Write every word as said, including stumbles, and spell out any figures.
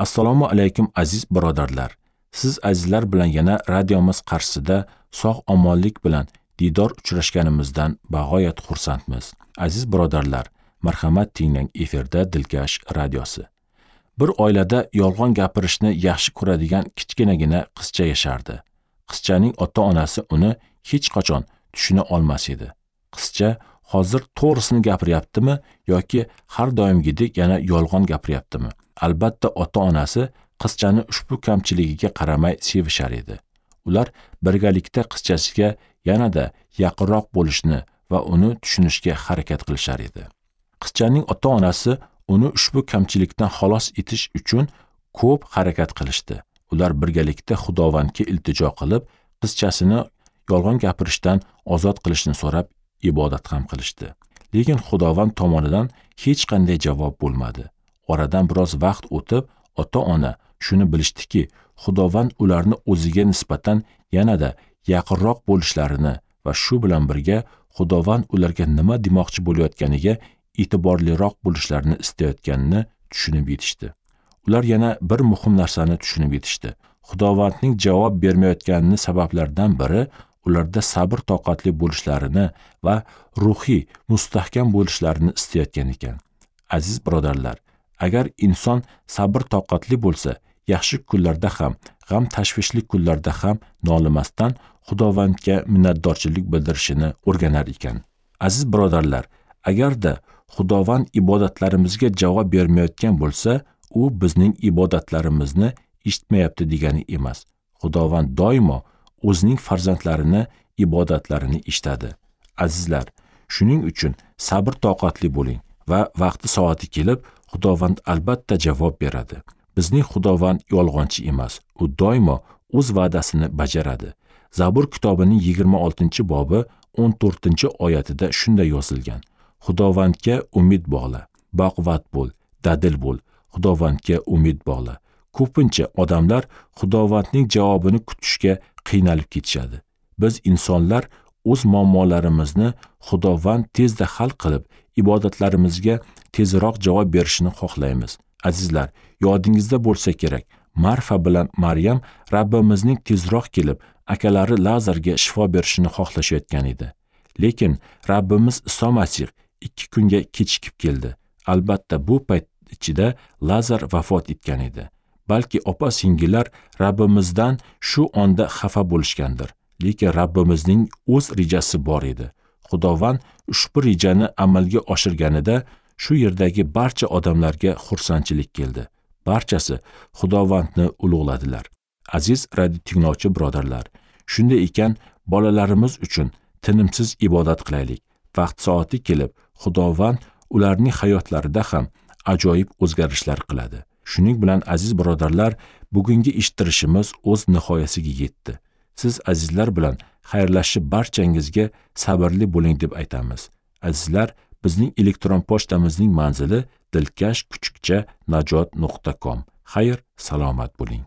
Assalomu alaykum aziz birodarlar. Siz azizlar bilan yana radiomiz qarshisida sog' omonlik bilan diydor uchrashganimizdan bag'oyat xursandmiz. Aziz birodarlar, marhamat tinglang, efirda Dilkash radiosi. Bir oilada yolg'on gapirishni yaxshi ko'radigan kichkinagina qizcha yashardi. Qizchaning ota-onasi uni hech qachon tushuna olmas edi. Qizcha hozir to'g'risini gapiryaptimi yoki har doimgidek yana yolg'on gapiryaptimi? Albatta ota-onasi qizchani ushbu kamchiligiga qaramay sevishar edi. Ular birgalikda qizchasiga yanada yaqinroq bo'lishni va uni tushunishga harakat qilishar edi. Qizchaning ota-onasi uni ushbu kamchilikdan xalos etish uchun ko'p harakat qilishdi. Ular birgalikda Xudovandga iltijo qilib, qizchasini yolg'on gapirishdan ozod qilishni so'rab ibodat ham qilishdi. Lekin Xudovand tomonidan hech qanday javob bo'lmadi. Oradan biroz vaqt o'tib, ota-ona shuni bilishdiki, Xudovand ularni o'ziga nisbatan yanada yaqinroq bo'lishlarini va shu bilan birga Xudovand ularga nima demoqchi bo'layotganiga e'tiborliroq bo'lishlarini istayotganini tushunib yetishdi. Ular yana bir muhim narsani tushunib yetishdi. Xudovandning javob bermayotganini sabablaridan biri ularda sabr toqatli bo'lishlarini va ruhiy mustahkam bo'lishlarini istayotgan ekan. Aziz birodarlar, agar inson sabr toqatli bo'lsa, yaxshi kunlarda ham, g'am tashvishli kunlarda ham nolimasdan Xudovandga minnatdorchilik bildirishini o'rganar ekan. Aziz birodarlar, agarda Xudovand ibodatlarimizga javob bermayotgan bo'lsa, u bizning ibodatlarimizni eshitmayapti degani emas. Xudovand doimo o'zining farzandlarini ibodatlarini eshitadi. Azizlar, shuning uchun sabr toqatli bo'ling va vaqti soati kelib Xudovand albatta javob beradi. Bizning Xudovand yolg'onchi emas. U doimo o'z va'dasini bajaradi. Zabur kitobining yigirma oltinchi bobi o'n to'rtinchi oyatida shunday yozilgan: Xudovandga umid bog'la, baquvvat bo'l, dadil bo'l. Xudovandga umid bog'la. Ko'pincha odamlar Xudovandning javobini kutishga qiynalib ketishadi. Biz insonlar o'z muammolarimizni Xudovand tezda hal qilib, ibodatlarimizga tezroq javob berishini xohlaymiz. Azizlar, yodingizda bo'lsa kerak, Marfa bilan Maryam Rabbimizning tezroq kelib, akalari Lazarga shifo berishini xohlashayotgan edi. Lekin Rabbimiz Iso Masih ikki kunga kechikib keldi. Albatta bu payt ichida Lazar vafot etgan edi. Balki opa-singillar Rabbimizdan shu onda xafa bo'lishgandir. Lekin Rabbimizning o'z rejasi bor edi. Xudovand ushbu rejani amalga oshirganida shu yerdagi barcha odamlarga xursandchilik keldi. Barchasi Xudovandni ulug'ladilar. Aziz radio tinglovchi birodarlar, shunday ekan bolalarimiz uchun tinimsiz ibodat qilaylik. Vaqt soati kelib, Xudovand ularning hayotlarida ham ajoyib o'zgarishlar qiladi. Shuning bilan aziz birodarlar, bugungi eshittirishimiz o'z nihoyasiga yetdi. Siz azizlar bilan xayrlashib barchangizga sabrli bo'ling deb aytamiz. Azizlar, bizning elektron pochtamizning manzili dilkash kuchukcha najot nuqta com. Xayr, salomat bo'ling.